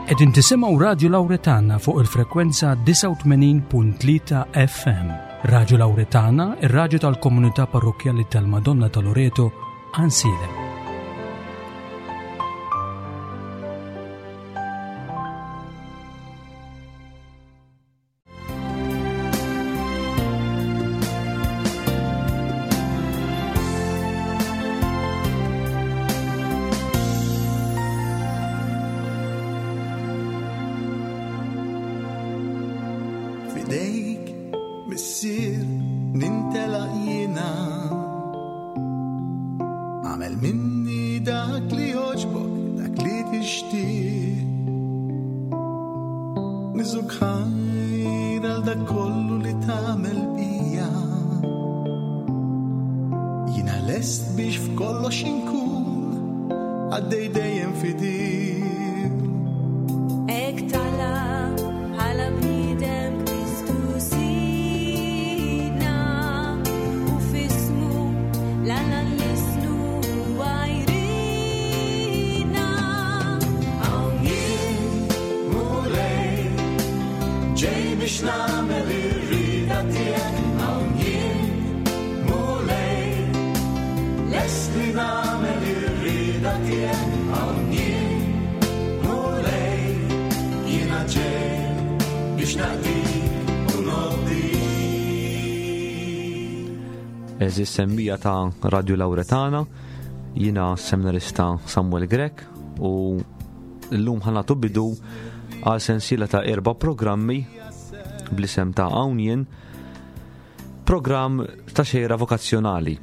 Qegħdin tisimgħu Radju Lawretana fuq il-frekwenza 89.3 FM. Radju Lawretana, ir-radju tal-komunità parrokkjali tal-Madonna ta' Loreto, Ansiedem. Fidejk, missier, nintelaq jiena. Għamel minni dak li joġbok, dak li tixtieq. Niżuk ħajr għal dak kollu li tagħmel bija. Jiena lest biex f'kollox inkun għaddej dejjem fidil. Ek tala bħala bniedem Kristu Sidna u f'ismu l-Alla nlissnu huwa jridna. Hawn jien, Mulej, ġej biex nagħmel ir-rieda tiegħek. Hawn jien, Mulej, lest li nagħmel ir-rieda tiegħek. Hawn jien, Mulej, jiena ġej biex naqdik u nobdik. Eżis semmija ta' Radio Lauretana, jina seminarista Samuel Grech u l-lum ħanatu bidu għal sensiela ta' erba programmi bl-isem ta' Hawn Jien, programm ta' xejra vokazzjonali.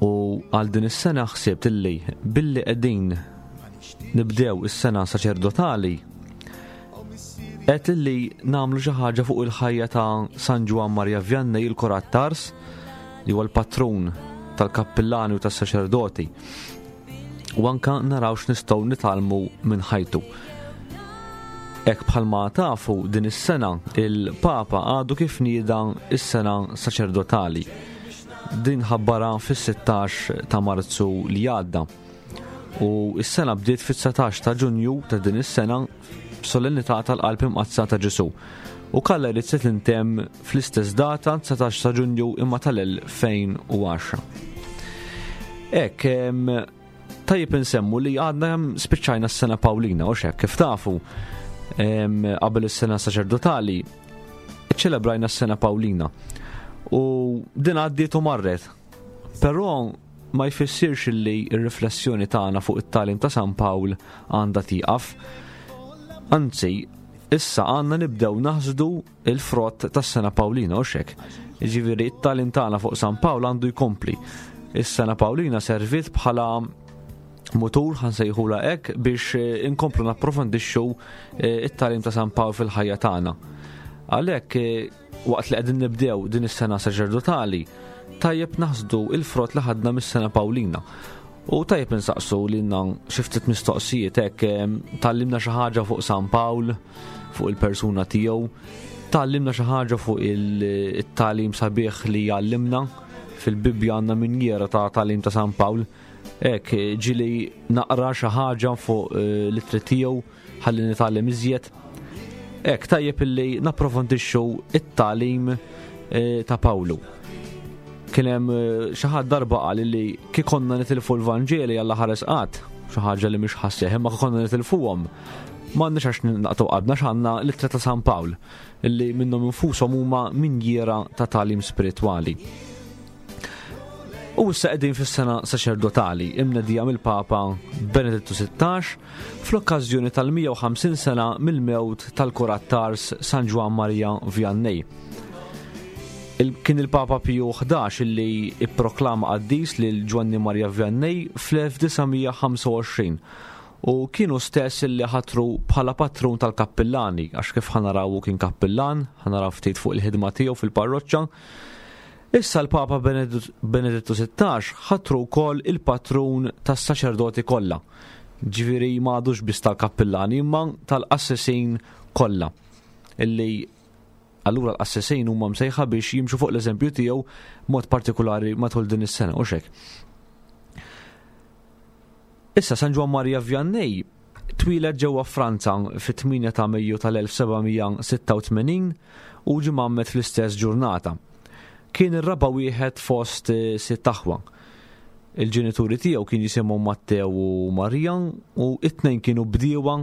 U għal din is-sena ħsibt illi billi qegħdin nibdew is-sena saċerdotali qed illi nagħmlu xi ħaġa fuq il-ħajja ta' San Ġwann Maria Vianney il-Korat Tars li huwa l-patrun tal-kappillani u tas-saċerdoti. U anka naraw x'nistgħu nitgħallmu minn ħajtu. Hekk bħalma tafu din is-sena il-Papa għadu kif nieda is-sena saċerdotali. Din ħabbara fis-16 ta' Marzu li għadda. U s-sena bdiet fit-19 ta' Ġunju ta' din is-sena b'solennità tal-Qalb Imqaddsa ta' Ġesù. U kalla jrid se tintemm fl-istess data 19 ta' Ġunju imma tal-2010. Hekk, tajjeb insemmu li għadna spiċċajna s-sena Pawlina u xek kif tafu qabel is-sena saċerdotali ċelebrajna s-sena Pawlina. U din għaddiet u marret. Però ma jfissirx li r-riflessjoni tagħna fuq it-tagħlim ta' San Pawl għandha tieqaf. Anzi, issa għandna nibdew naħsdu il-frott tas-sena Pawlina u xek. Jiġifieri it-tagħlim tagħna fuq San Pawl għandu jkompli. Is-sena Pawlina serviet bħala mutur ħansejħula hekk biex eh, inkomplu napprofondixxu eh, it-tagħlim ta' San Pawl fil-ħajja tagħna. Għalhekk eh, Waqt li qegħdin nibdew din is-sena saċerdotali, tajjeb naħsdu il-frott li ħadna mis-sena Pawlina. U tajjeb insaqsu lilna xi ftit mistoqsijiet hekk tgħallimna xi ħaġa fuq San Pawl, fuq il-persuna tiegħu, tgħallimna xi ħaġa fuq it-tagħlim sabiħ li jgħallimna fil-Bibbja għandna minjiera ta' tagħlim ta' San Pawl. Hekk ġieli naqra xi ħaġa fuq eh, l-ittri tiegħu ħalli nitgħallem iżjed. Hekk tajjeb illi napprofondixxu it-tagħlim eh, ta' Pawlu. Kien hemm eh, xi ħadd darba qal li kif konna nitilfu l-Vanġeli Alla ħares qatt, xi ħaġa li mhix ħassieħ, imma kif konna nitilfuhom m'għandniex għax naqtgħu qalbna x'għandna l-ittra ta' San Pawl illi minnhom infushom huma minjiera ta' tagħlim spiritwali. U issa qegħdin fis-sena saċerdotali imnedija mill-Papa Benedittu 16 fl-okkażjoni tal-150 sena mill-mewt tal-Kurat Tars San Ġwann Maria Vianney. Il kien il-Papa Piju 11 illi ipproklama qaddis lil Ġwanni Maria Vianney fl-1925 u kienu stess illi ħatru bħala patrun tal-kappillani għax kif ħanaraw hu kien kappillan, ħanaraw ftit fuq il-ħidma tiegħu fil-parroċċa. Issa l-Papa Benedittu 16 ħatru wkoll il-patrun tas-saċerdoti kollha. Ġifieri ma għadux biss tal-kappillani imma tal-qassisin kollha. Illi allura l-qassisin huma msejħa biex jimxu fuq l-eżempju tiegħu mod partikolari matul din is-sena u xek. Issa San Ġwann Maria Vianney Twieled ġewwa Franza fit-8 ta' Mejju tal-1786 u ġie mgħammed fl-istess ġurnata. Kien ir-raba' wieħed fost sitt aħwa. Il-ġenituri tiegħu kien jisimhom Matteo u Maria u it-tnejn kienu bdiewa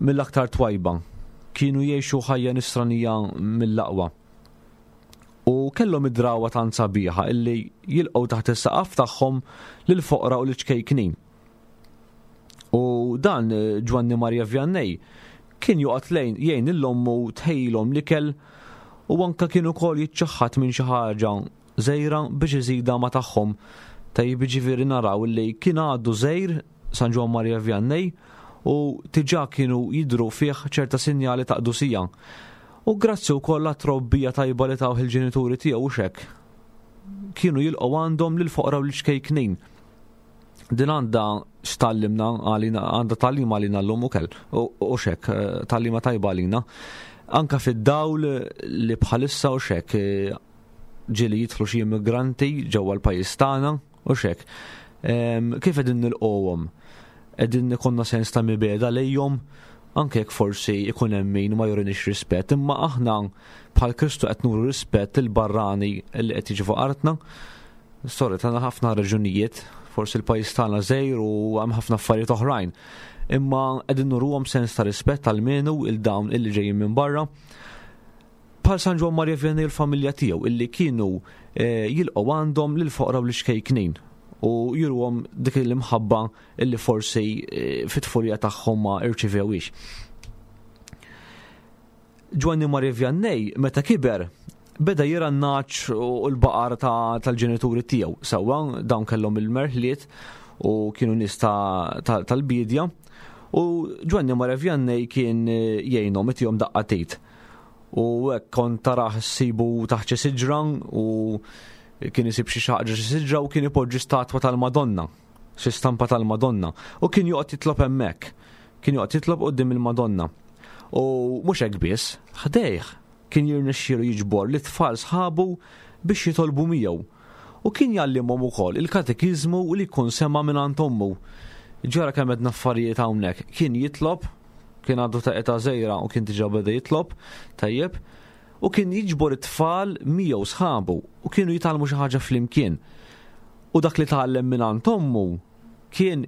mill-aktar twajba. Kienu jgħixu ħajja nisranija mill-aqwa. U kellhom id-drawwa tant sabiħa illi jilqgħu taħt is-saqaf tagħhom lill-foqra u lill-ċkejknin. U dan Ġwanni Maria Vianney kien joqgħod lejn jgħin lil ommu tħejjilhom l-ikel u anke kien ukoll jiċċaħħad minn xi ħaġa żgħira biex iżidha ma' tagħhom. Tajjeb jiġifieri naraw li kien għadu żgħir San Ġwann Maria Vianney u diġà kienu jidhru fih ċerta sinjali ta' qdusija. U grazzi wkoll għat-trobbija tajba li tawh il-ġenituri tiegħu hux hekk. Kienu jilqgħu għandhom lill-foqra u lill-ċkejknin. Din għandha x'tallimna għalina, għandha tagħlim għalina llum ukoll, u xek, eh, tagħlima tajba għalina. Anka fid-dawl li bħalissa u xek eh, ġieli jidħlu xi immigranti ġewwa l-pajjiż tagħna u xek. Ehm, kif qegħdin nilqgħuhom? Qegħdin ikollna sens ta' mibeda lejhom anke jekk forsi ikun hemm min ma jurinix rispett, imma aħna bħal Kristu qed nuru rispett il-barrani li qed jiġi fuq artna. Sorry, tagħna ħafna raġunijiet, forsi l-pajjiż tagħna żgħir u hemm ħafna affarijiet oħrajn. Imma qegħdin nuruhom sens ta' rispett għal-menu il dawn illi ġejjin minn barra. Bħal San Ġwann Maria Vianney l-familja tiegħu illi kienu eh, jilqgħu għandhom lil foqra u l-xkejknin u juruhom dik l-imħabba illi forsi eh, fit-tfulija tagħhom ma irċivewix. Ġwanni Maria Vianney meta kiber beda jira n-naċ u l-baqar tal-ġenituri tiegħu. Sewwa dawn kellhom il-merħliet u kienu nies tal-bidja u Ġwanni Maria Vianney kien eh, jgħinhom itihom daqqa tit. U hekk kont tarah sibu taħt xi siġra u kien isib xi xaqġa xi siġra u kien ipoġġi statwa tal-Madonna, xi stampa tal-Madonna u kien joqgħod jitlob hemmhekk. Kien joqgħod jitlob quddiem il-Madonna. U mhux hekk biss, ħdejh kien jirnexxielu jiġbor lit-tfal sħabu biex jitolbu miegħu. U kien jgħallimhom ukoll il-katekiżmu li jkun sema' mingħand ommu. Ġara kemm għedna affarijiet hawnhekk. Kien jitlob, kien għadu ta' età żgħira u kien diġà beda jitlob, tajjeb, u kien jiġbor it-tfal miegħu sħabu u kienu jitgħallmu xi ħaġa flimkien. U dak li tgħallem mingħand ommu kien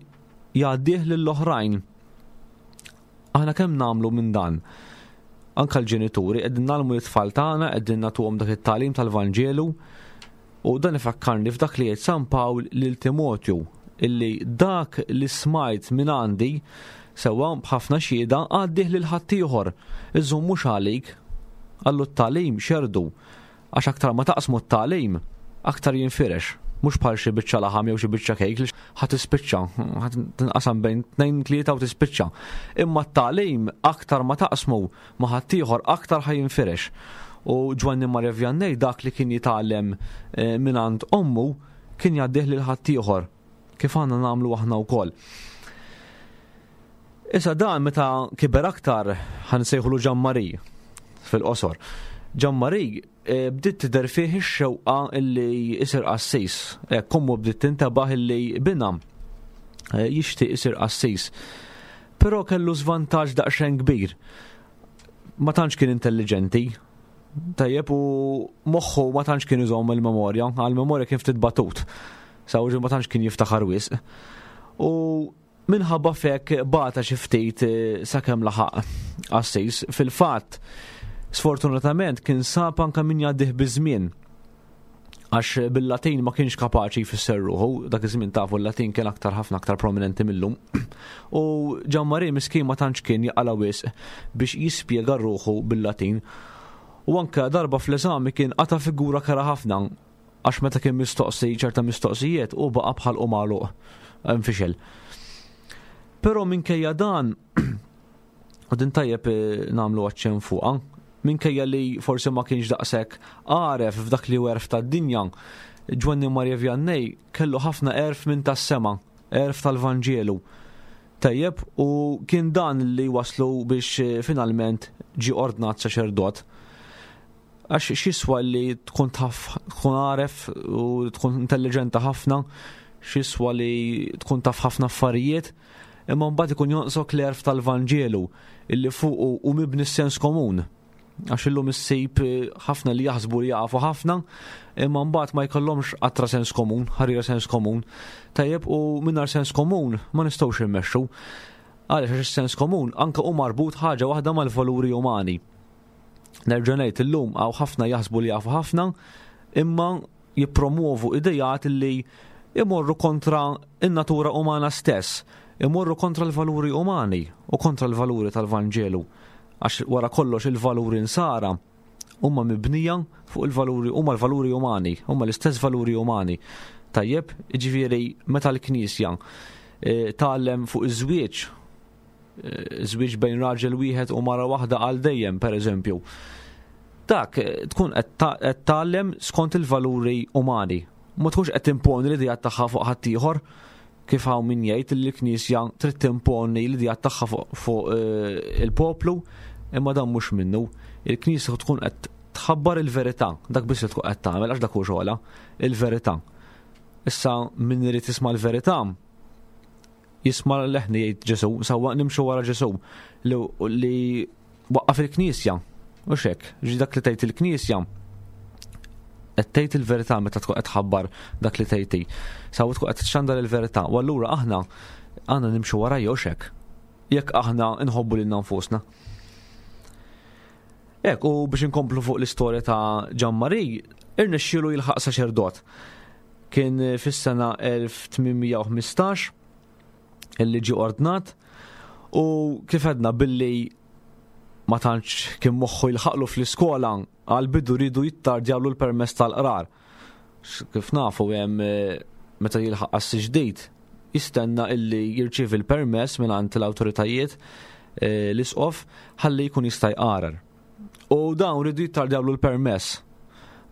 jgħaddih lill-oħrajn. Aħna kemm nagħmlu minn dan? Anka l-ġenituri qegħdin nagħmlu l-tfal tagħna, qegħdin nagħtuhom dak it-tagħlim tal-Vanġelu. U dan ifakkarni f'dak li jgħid San Pawl lil Timotju illi dak li smajt minn għandi sewwa b'ħafna xhieda għaddih lil ħaddieħor. Iżżomm mhux għalik. Qallu t-tagħlim xerdu. Għax aktar ma taqsmu t-tagħlim, aktar jinfirex. Mhux bħal xi biċċa laħam jew xi biċċa kejk li ħa tispiċċa, ħa tinqasam bejn tnejn tlieta u tispiċċa. Imma t-tagħlim aktar ma taqsmu ma' ħaddieħor aktar ħa jinfirex. U Ġwanni Maria Vianney dak li kien jitgħallem eh, mingħand ommu kien jgħaddih lil ħaddieħor kif għandna nagħmlu aħna wkoll. Issa dan meta kiber aktar ħa nsejħulu Ġammari fil-qosor. Ġammari eh, bdiet tidher fih ix-xewqa illi isir qassis. Eh, kommu bdiet tintabaħ illi bina eh, jixtieq isir qassis. Però kellu żvantaġġ daqsxejn kbir. Ma tantx kien intelligenti, tajjeb u moħħu ma tantx kien iżomm il-memorja, għal-memorja kien ftit batut. Sawġi ma tantx kien jiftaħar wisq. U Minħabba f'hekk bata xi ftit eh, sakemm laħaq qassis. Fil-fatt, sfortunatament kien sab anke min jgħaddih biż-żmien għax bil-Latin ma kienx kapaċi jfisser ruħu, dak iż-żmien tafu l-Latin kien aktar ħafna aktar prominenti millum. U Ġammari miskin ma tantx kien jaqala wisq biex jispjega ruħu bil-Latin. U anke darba fl-eżami kien qata' figura kera ħafna Għax meta kien mistoqsi ċerta mistoqsijiet hu baqa' b'ħalqu magħluq, infixel. Però minkejja dan, u din tajjeb eh, nagħmlu aċċenn fuqha, minkejja li forsi ma kienx daqshekk għaref f'dak li hu għerf tad-dinja, Ġwanni Maria Vianney kellu ħafna għerf minn tas-sema, għerf tal-Vanġelu. Tajjeb, u kien dan li waslu biex eh, finalment ġie ordnat saċerdot. Għax x'jiswa li tkun taf tkun għaref u tkun intelligenti ħafna, x'jiswa li tkun taf ħafna affarijiet, Imma mbagħad ikun jonqsok l-għerf tal-Vanġelu illi fuqu hu mibni s-sens komun. Għax illum issib eh, ħafna li jaħsbu li jafu ħafna, imma mbagħad ma jkollhomx qatra sens komun, ħarira sens komun. Tajjeb u mingħajr sens komun ma nistgħux immexxu. Għaliex għax is-sens komun anke hu marbut ħaġa waħda mal-valuri umani. Nerġa' ngħid illum hawn ħafna jaħsbu li jafu ħafna, imma jippromuovu idejat li imorru kontra in-natura umana stess, imorru kontra l-valuri umani u kontra l-valuri tal-Vanġelu. Għax wara kollox il-valuri nsara huma mibnija fuq il-valuri huma l-valuri umani, huma l-istess valuri umani. Tajjeb, jiġifieri meta l-Knisja eh, tgħallem fuq iż-żwieġ, eh, żwieġ bejn raġel wieħed u mara waħda għal dejjem, pereżempju. Dak eh, tkun qed tgħallem skont il-valuri umani. Ma tkunx qed timponi l-idea tagħha fuq ħaddieħor kif hawn min jgħid li l-Knisja trid timponi l-idea tagħha fuq eh, il-poplu, imma dan mhux minnu. Il-Knisja tkun qed tħabbar il-verità, dak biss li tkun qed tagħmel għax dak hu xogħolha, il-verità. Issa min irid jisma' l-verità, jisma' leħni jgħid Ġesu, sewwa nimxu wara Ġesu li waqqaf il-Knisja. U xek, ġi dak li tgħid il-Knisja qed tgħid il-verità meta tkun qed tħabbar dak li tgħid. Sewwa tkun qed txandar il-verità. U allura aħna għandna nimxu wara jew xek. Jekk aħna nħobbu lilna nfusna. Ek, u biex inkomplu fuq l-istorja ta' Ġammari, irnexxielu jilħaq saċerdot. Kien fis-sena 1815 illi ġie ordnat u kif għedna billi ma tantx kien moħħu jilħaqlu fl-iskola għal bidu ridu jittardjawlu l-permess tal-qrar. Kif nafu hemm eh, meta jilħaq qassi ġdid jistenna illi jirċievi l-permess mingħand l-awtoritajiet eh, l-isqof ħalli jkun jista' jqarar. U dawn ridu jittardjawlu l-permess.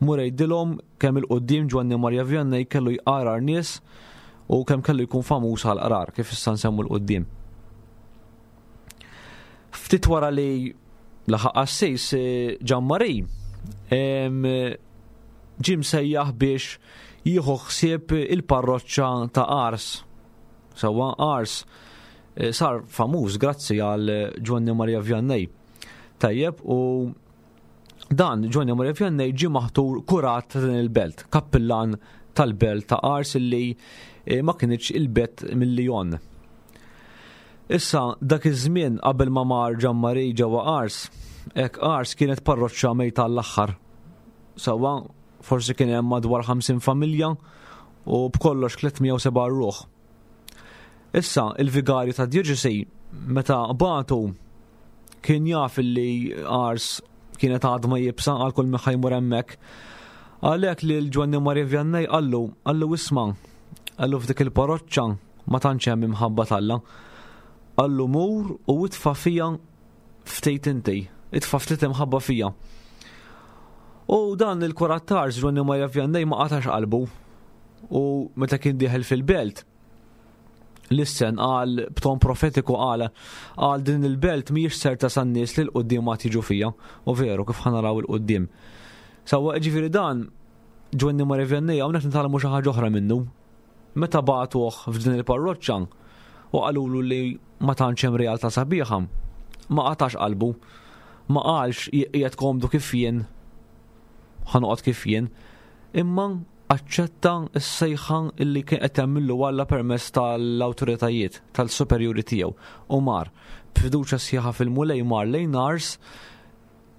Mur għidilhom kemm il-quddiem Ġwanni Marja Vianney kellu jqarar nies u kemm kellu jkun famuż għal qrar kif issa nsemmu l-quddiem. Ftit wara li laħaq qassis eh, Ġammari ġie msejjaħ biex jieħu ħsieb il-parroċċa ta' Ars. Sewwa Ars eh, sar famuż grazzi għal Ġwanni Maria Vianney. Tajjeb u dan Ġwanni Maria Vianney ġie maħtur kurat ta' din il-belt, kappillan tal-belt ta' Ars illi eh, ma kienx il-bet mill-Lyon. Issa dak iż-żmien qabel ma mar Ġammari ġewwa Ars, hekk Ars kienet parroċċa mejta l-aħħar. Sewwa, forsi kien hemm madwar 50 familja u b'kollox 307 ruħ. Issa, il-vigarju ta' djoċesi meta bagħtu kien jaf li Ars kienet għadma jibsa għal kull min jmur hemmhekk. Għalhekk li l-Ġwanni Maria Vianney qallu, qallu isma' qallu f'dik il-paroċċa ma tantx hemm imħabba t'Alla. Qallu mur u itfa' fija ftit inti, itfa' ftit imħabba fija. U dan il-kurat t'Ars Ġwanni Maria Vianney ma qatax qalbu. U meta kien dieħel fil-belt, lissen qal b'ton profetiku qal qal din il-belt mhijiex ser tasal nies li l-quddiem ma tiġu fija. U veru kif ħanaraw il-quddiem. Sewwa ġifieri dan Ġwanni Maria Vianney hawnhekk nitgħallmu xi ħaġa oħra minnu. Meta bagħtuh f'din il-parroċċa u qalulu li ma tantx hemm realtà sabiħa, ma qatax qalbu. Ma qalx qiegħed komdu kif jien, ħa noqgħod kif jien, imma aċċetta s-sejħa li kien qed jagħmillu Alla permezz tal-awtoritajiet, tal-superjuri tiegħu u mar b'fiduċja sħiħa fil-Mulej mar lejn Ars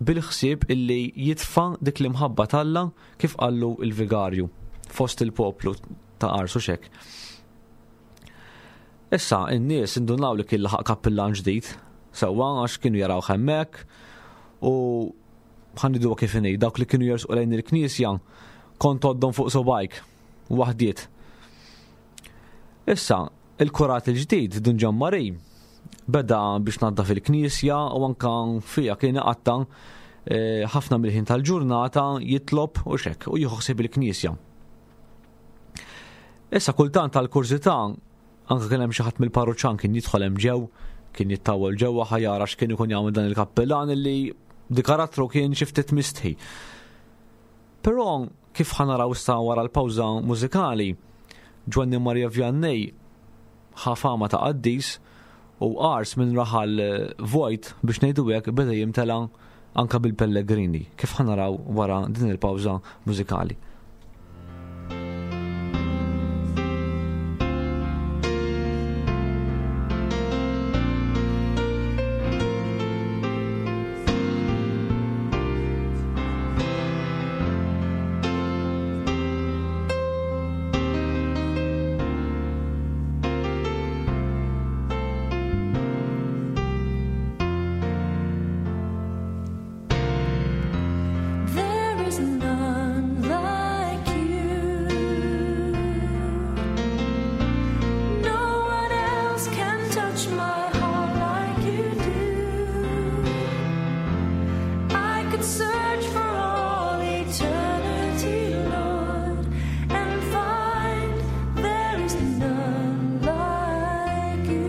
bil-ħsieb illi jitfa' dik l-imħabba t'Alla kif qallu l-vigarju fost il-poplu ta' Ars u xek. Issa, in-nies indunaw li kien laħaq kappillan ġdid, sewwa għax kienu jaraw hemmhekk u ħanidu kif inhi, dawk li kienu jersqu lejn il-knisja kont għoddhom fuq subajk, waħdiet. Issa, il-kurat il-ġdid, Dun Ġammari, beda biex naddaf il-knisja u anka fija kien iqatta eh, ħafna mill-ħin tal-ġurnata jitlob u xek u jieħu ħsieb il-knisja. Issa kultant tal-kurżità anke kien hemm xi ħadd mill-parruċċan kien jidħol hemm ġew, kien jittawwel ġewwa ħa jara x'kien ikun jagħmel dan il-kappillan illi di karattru kien xi ftit mistħi. Però kif ħa naraw issa wara l-pawża mużikali, Ġwanni Maria Vianney ħa fama ta' qaddis. U Ars minn raħal vojt biex ngħidu hekk beda jimtela anka bil-pellegrini, kif ħa naraw wara din il-pawża mużikali. There is none like you. No one else can touch my heart like you do. I could search for all eternity, Lord, and find there is none like you.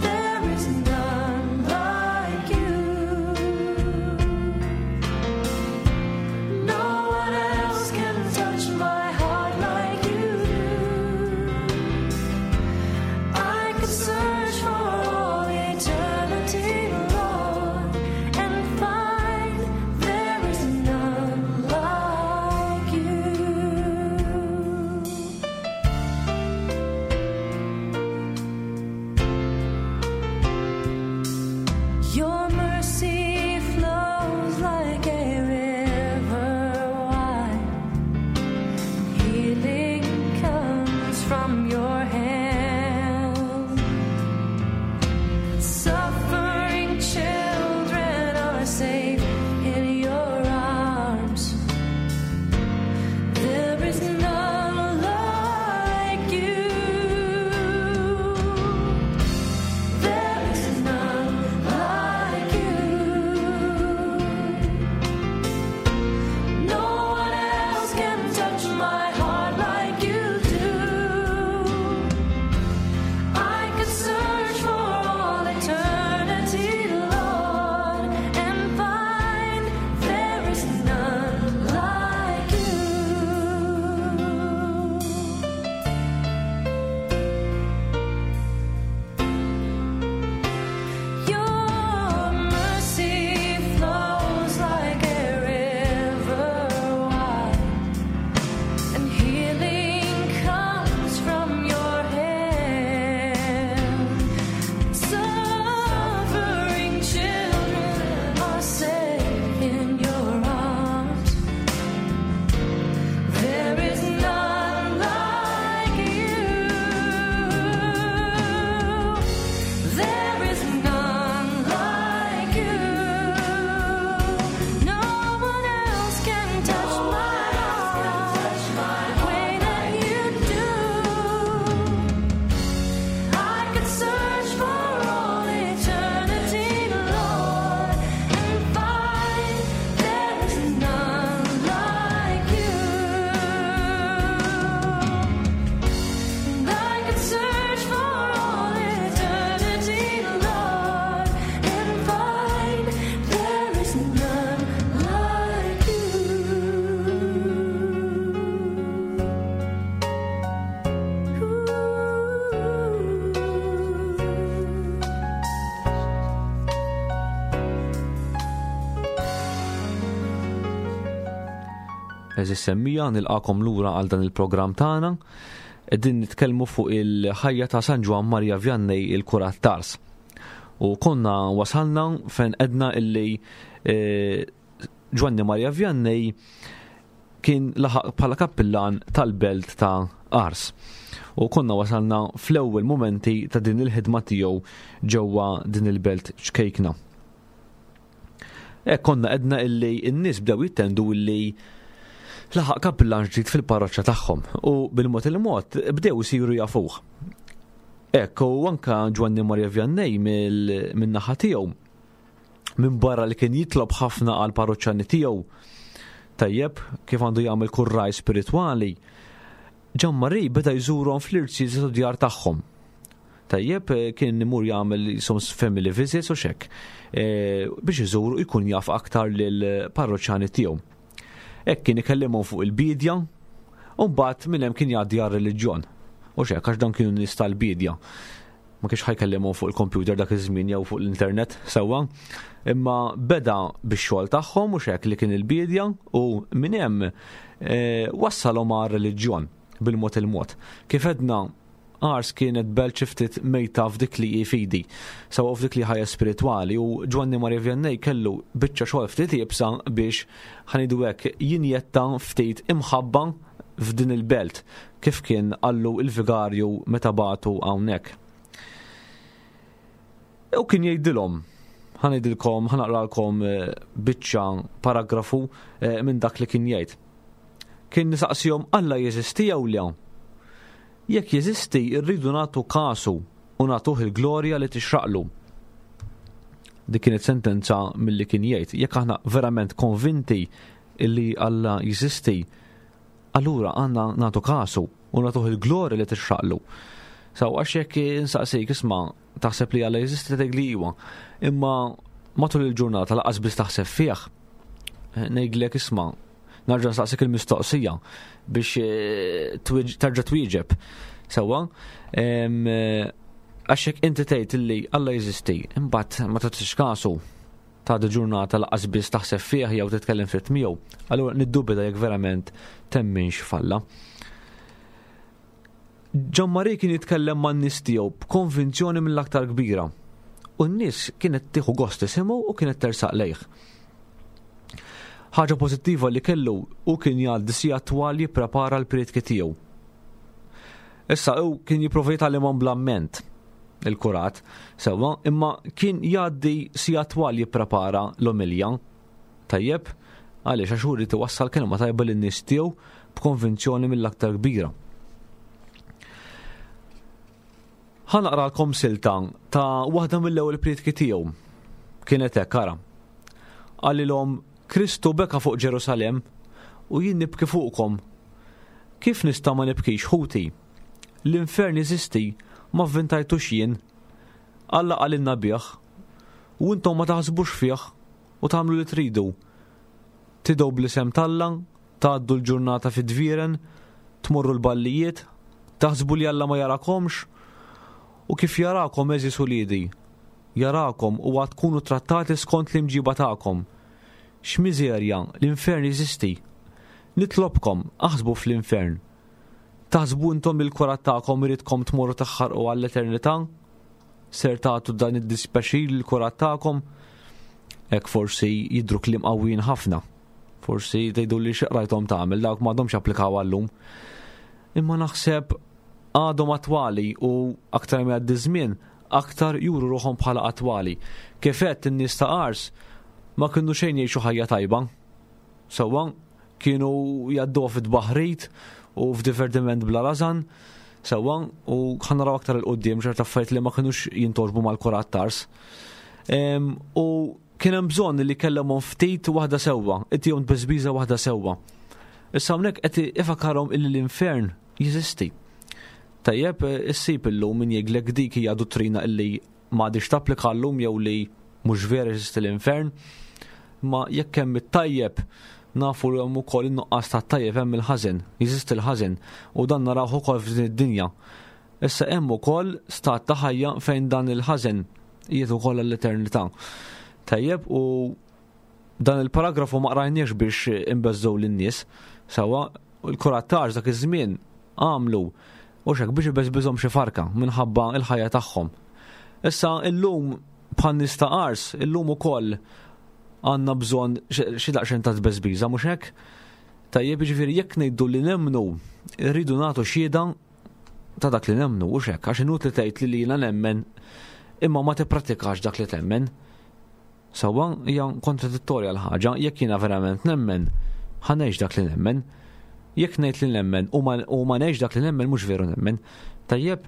There is none like you. No one else can touch my heart like you do. I could search for all eternity, Lord, and find there is none like you. Your mercy flows like a river wide. Healing comes from your hand. Suffering children are safe in your arms. There is none like you. There is none like you. No one else can touch my heart like you do. I could search for all eternity, Lord, and find there is none like you. Your mercy flows like a river wide, and healing comes from your hand. Suffering children are safe in your arms. There is none like you. There is none like you. No one else can touch my heart the way that you do. I could search for all eternity, Lord, and find there is none like you. And I could search for all eternity, Lord, and find there is none like you. Eżis semmija nilqakom lura għal dan il-programm tagħna. Qegħdin nitkellmu fuq il-ħajja ta' San Ġwann Maria Vianney il-Kurat Tars. U konna wasalna fejn edna illi eh, Ġwanni Maria Vianney kien laħaq bħala kappillan tal-belt ta' Ars. U konna wasalna fl-ewwel mumenti ta' din il-ħidma tiegħu ġewwa din il-belt ċkejkna. Hekk konna edna illi n-nies bdew jittendu illi laħaq kappillan ġdid fil-parroċċa tagħhom u bil-mod il-mod bdew isiru jafuh. Hekk u anka Ġwanni Maria Vianney min-naħa tiegħu minn barra li kien jitlob ħafna għal parroċċani tiegħu tajjeb kif għandu jagħmel kull raj spiritwali, Ġan Marie beda jżurhom fl-irziezet u djar tagħhom. Tajjeb kien imur jagħmel jisom family visits u xek biex iżuru jkun jaf aktar lil parroċċani tiegħu. Hekk kien ikellimhom fuq il-bidja u mbagħad minn hemm kien jgħaddi għar-reliġjon. U xek, għax dan kienu nies tal-bidja. Ma kienx ħajkellimhom fuq il-computer dak iż-żmien jew fuq l-internet sewwa. Imma beda bix-xogħol tagħhom u xek li kien il-bidja u minn hemm eh, wassalhom għar-reliġjon bil-mod il-mod. Kif edna Ars kienet belt xi ftit mejta f'dik li hi fidi, sewwa f'dik li ħajja spiritwali u Ġwanni Maria Vianney kellu biċċa xogħol ftit iebsa biex ħa ngħidu hekk jinjetta ftit imħabba f'din il-belt kif kien qallu l-vigarju meta bagħtu hawnhekk. U kien jgħidilhom, ħa ngħidilkom, ħa naqralkom eh, biċċa paragrafu eh, minn dak li kien jgħid. Kien nisaqsihom Alla jeżisti jew le? Jekk jeżisti, rridu nagħtu kasu u nagħtuh il-glorja li tixraqlu. Dik kienet sentenza milli kien jgħid. Jekk aħna verament konvinti illi Alla jeżisti, allura għandna nagħtu kasu u nagħtuh il-glorja li tixraqlu. Saw għax jekk insaqsik isma' taħseb li Alla jeżisti tgħid li iwa. Imma matul il-ġurnata laqas biss taħseb fih. Eh, ngħidlek isma' Narġa' nsaqsik il-mistoqsija biex eh, tarġa' twieġeb. Sewwa, eh, għax jekk inti tgħid li Alla jeżisti, imbagħad ma tagħtix kasu ta' ġurnata laqas biss taħseb fih jew titkellem ftit miegħu, allura niddubita jekk verament temminx falla. Ġammari kien jitkellem man-nies tiegħu b'konvinzjoni mill-aktar kbira. U n-nies kienet tieħu gost tisimgħu u kienet tersaq lejh. Ħaġa pożittiva li kellu hu kien jgħaddi sigħat twal jipprepara l-prietki tiegħu. Issa hu kien jipprova jitgħallimhom bl-amment il-kurat, sewwa, imma kien jgħaddi sigħat twal jipprepara l-omilja. Tajjeb, għaliex għax hu rrid iwassal kelma tajba lin-nies tiegħu b'konvinzjoni mill-aktar kbira. Ħa naqralkom silta ta' waħda mill-ewwel prietki tiegħu. Kienet hekk ara. Qalilhom Kristu beka fuq Ġerusalemm u jien nibki fuqkom. Kif nista' ma nibkix ħuti? L-infern jeżisti, ma vvintajtux jien. Alla qalilna bih. U intom ma taħsbux fih u tagħmlu li tridu. Tidgħu bl-isem t'Alla, tgħaddu l-ġurnata fid-dvieren, tmorru l-ballijiet, taħsbu li Alla ma jarakomx? U kif jarakom għeżież uliedi? Jarakom u għad tkunu trattati skont l-imġiba tagħkom. X'miżerja, l-infern jeżisti! Nitlobkom, aħsbu fl-infern. Taħsbu intom li l-kurat tagħkom iridkom tmorru taħħarqu għall-eternità? Ser tagħtu dan id-dispjaċir lill-kurat tagħkom? Hekk forsi jidhru kliem qawwijin ħafna. Forsi tgħidu li xi qrajthom tagħmel dawk m'għadhomx applikaw għallum. Imma naħseb għadhom attwali u aktar ma jgħaddi żmien, aktar juru ruħhom bħala attwali. Kif għedt in-nies ta' Ars ma kienu xejn jgħixu ħajja tajba. Sewwa, kienu jgħadduha fit-tbaħrid u f'divertiment bla rażan, sewwa, u ħa naraw aktar 'il quddiem ċerta affarijiet li ma kinux jintgħoġbu mal-kurat t'Ars. U Kien hemm bżonn li kellemhom ftit waħda sewwa, itihom tbeżbiża waħda sewwa. Issa hawnhekk qed ifakarhom illi l-infern jeżisti. Tajjeb, issib illum min jgħidlek dik hija duttrina illi m'għadhiex tapplika llum jew li mhux vera jeżisti l-infern. Ma jekk hemm it-tajjeb, nafu li hemm ukoll in-nuqqas tat-tajjeb hemm il-ħażen, jeżisti l-ħażen u dan narawh ukoll f'din id-dinja. Issa hemm ukoll stat ta' ħajja fejn dan il-ħażen qiegħed ukoll għall-eternità. Tajjeb u dan il-paragrafu ma qrajniex biex inbeżżgħu lin-nies. Sewwa, il-kurattax dak iż-żmien għamlu u xek biex ibeżbiżhom xi farka minħabba l-ħajja tagħhom. Issa illum bħal nies ta' Ars, illum ukoll għandna bżonn xi daqsxejn ta' tbeżbiża mhux hekk? Tajjeb, jiġifieri jekk ngħidu li nemmnu, rridu nagħtu xhieda ta' dak li nemmnu, hux hekk, għax inutli tgħid li jiena nemmen imma ma tippratikax dak li temmen. Sewwa hija kontradittorja l-ħaġa, jekk jiena verament nemmen, ħa ngħix dak li nemmen. Jekk ngħid li nemmen u ma ngħix dak li nemmen mhux veru nemmen. Tajjeb,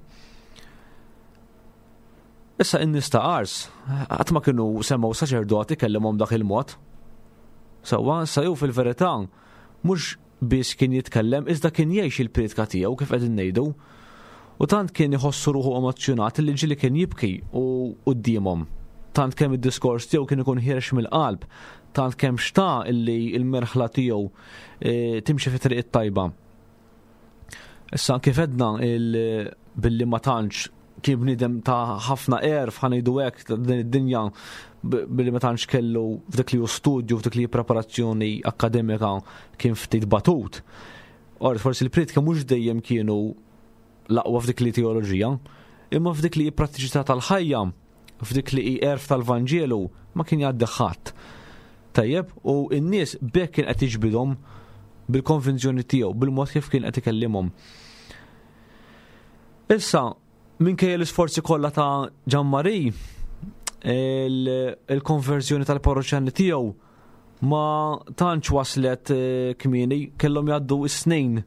Issa in-nies ta' Ars qatt ma kienu semgħu saċerdot ikellimhom dak il-mod. Sewwa, issa jew fil-verità mhux biss kien jitkellem iżda kien jgħix il-prietka tiegħu kif qegħdin ngħidu. U tant kien iħossu ruħu emozzjonat li ġieli kien jibki u quddiemhom. Tant kemm id-diskors tiegħu kien ikun ħierex mill-qalb, tant kemm xtaq illi l-merħla tiegħu e, timxi fi triq it-tajba. Issa kif edna billi ma tantx kien bniedem ta' ħafna għerf ħa ngħidu hekk ta' din id-dinja billi ma tantx kellu f'dik li hu studju f'dik li preparazzjoni akkademika kien ftit batut. Or forsi l-priedki mhux dejjem kienu l-aqwa f'dik li teoloġija, imma f'dik li prattiċità tal-ħajja, f'dik li hi għerf tal-Vanġelu ma kien jgħaddi ħadd. Tajjeb, u n-nies b'hekk kien qed jiġbidhom bil-konvinzjoni tiegħu, bil-mod kif kien qed ikellimhom. Issa, minkejja l-isforzi kollha ta' Ġanmari, il-konverżjoni tal-parroċjani tiegħu ma tantx waslet eh, kmieni, kellhom jgħaddu s-snin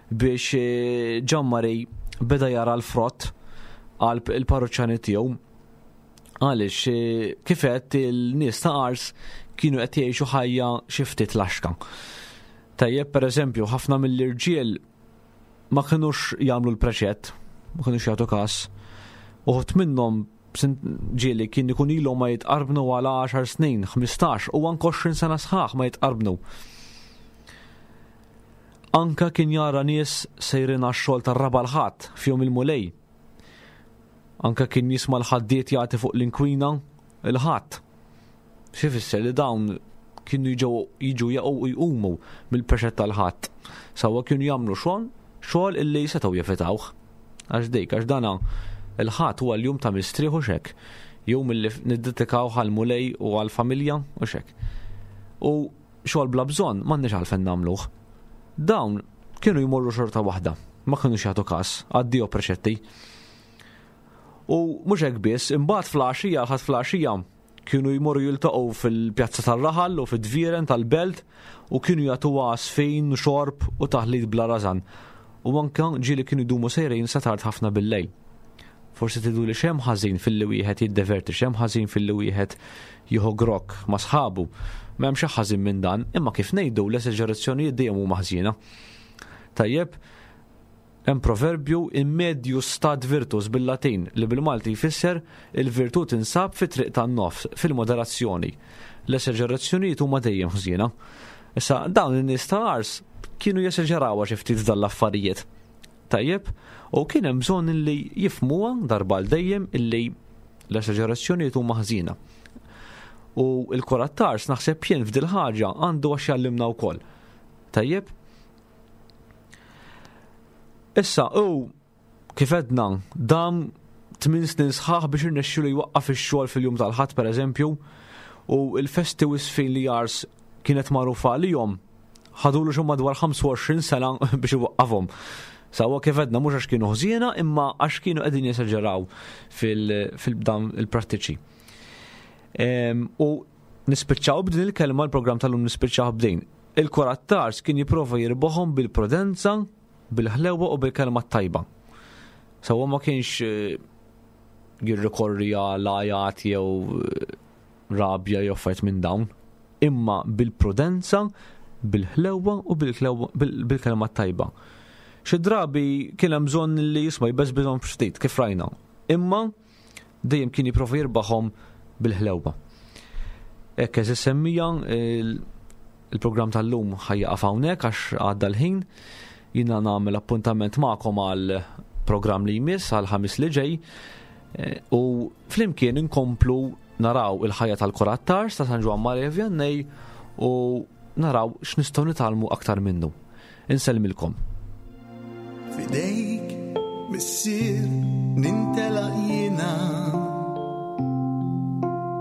biex eh, Ġanmari beda jara l-frott għal il-parroċjani tiegħu. Għaliex eh, kif għedt il-nies ta' Ars kienu qed jgħixu ħajja xi ftit laxka. Tajjeb, pereżempju, ħafna mill-irġiel ma kinux jagħmlu l-preċett, ma kinux jagħtu każ. Uħud minnhom ġieli kien ikun ilhom ma jitqarbnu għal 10 snin, 15 u anke 20 sena sħaħ ma jitqarbnu. Anka kien jara nies sejrin għax-xogħol tar-raba' l-Ħadd f'jum il-Mulej. Anka kien jisma' l-ħaddied jagħti fuq l-inkwina il-Ħadd. Xi fisser li dawn kienu jiġu jiġu jaqgħu u jqumu mill-preċett tal-Ħadd. Sewwa kienu jagħmlu xogħol xogħol illi setgħu jevitawh. Għax dik, għax dana il-Ħadd huwa l-jum ta' mistrieħ u xek. Jum illi niddedikaw għall-Mulej u għall-familja u xek. U xogħol bla bżonn m'għandniex għalfejn nagħmluh. Dawn kienu jmorru xorta waħda, ma kinux jagħtu każ, addio preċetti. U mhux hekk biss, imbagħad fl-għaxija, l-Ħadd fl-għaxija, kienu jmorru jiltaqgħu fil-pjazza tar-raħal u fid-dvieren tal-belt u kienu jagħtuha għasfin, xorb u taħlit bla rażan. U anke ġieli kienu jdumu sejrin sa tard ħafna bil-lejl. Forsi tgħidu li x'hemm ħażin filli wieħed jiddeverti, x'hemm ħażin filli wieħed jieħu grokk ma' sħabu. M'hemm xi ħażin minn dan, imma kif ngħidu l-esaġerazzjonijiet dejjem huma ħżiena. Tajjeb, hemm proverbju in medius stat virtus bil-Latin li bil-Malti jfisser il-virtù tinsab fit-triq tan-nofs, fil-moderazzjoni. L-esaġerazzjonijiet huma dejjem ħżiena. Issa dawn in-nies ta' Ars kienu jesaġerawha xi ftit f'dan l-affarijiet. Tajjeb, u kien hemm bżonn illi jifhmuha darba għal dejjem illi l-esaġerazzjonijiet huma ħżiena. U l-Kurat t'Ars naħseb jien f'dil ħaġa għandu għax jgħallimna wkoll. Tajjeb? Issa, u kif għedna, dam 8 snin sħaħ biex irnexxielu jwaqqaf ix-xogħol fil-jum tal-Ħadd pereżempju, u l-festi u s-sfin li Ars kienet magħrufa għalihom ħadulu xi madwar 25 sena biex iwaqqafhom. Sawa kif għedna mhux għax kienu ħżiena imma għax kienu qegħdin jesaġeraw fil-dan il-prattiċi. U nispiċċaw b'din il-kelma l-programm tal-lum nispiċċaw b'din. Il-Kurat Tars kien jipprova jirbaħhom bil-prudenza, bil-ħlewwa u bil-kelma t-tajba. Sewwa ma kienx eh, jirrikorri għal għajat jew eh, rabja jew affarijiet minn dawn, imma bil-prudenza, bil-ħlewwa u bil-kelma t-tajba. Xi drabi kien hemm bżonn li jisma' jbeżbiżhom ftit kif rajna. Imma dejjem kien jipprova jirbaħhom bil-ħlewwa. Hekk eżis semmija il-programm tal-lum ħajjaqaf hawnhekk għax għadda l-ħin. Jiena nagħmel appuntament magħkom għal programm li jmiss għal ħamis li ġej eh, u flimkien inkomplu naraw il-ħajja tal-Kurat Tars ta' San Ġwann Maria Vianney u naraw x'nistgħu nitgħallmu aktar minnu. Insellmilkom. Fidejk, missier, nintelaq jiena.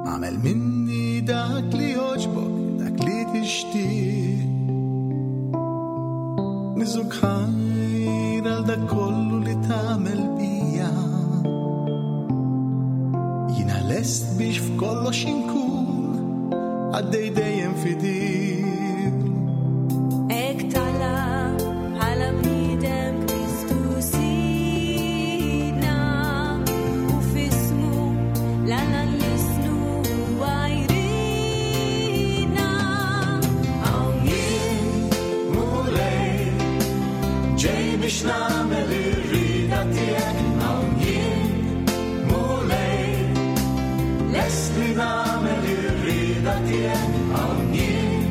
Għamel minni dak li joġbok, dak li tixtieq. Niżuk ħajr għal dak kollu li tagħmel bija. Jiena lest biex f'kollox inkun għaddej dejjem fidil. Ek tala bħala bniedem Kristu Sidna u f'ismu l-Alla nlissnu huwa jridna. Hawn jien, Mulej, ġej biex nagħmel ir-rieda tiegħek. Hawn jien, Mulej, lest li nagħmel ir-rieda tiegħek. Hawn jien,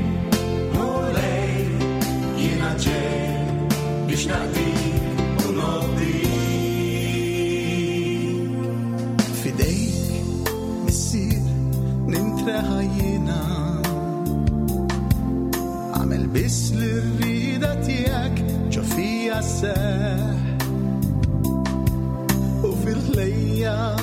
Mulej, jiena ġej biex naqdik u Leħa jiena. Għamel biss li rrida tiegħek ġo fija seħ. U fil-ħlejja.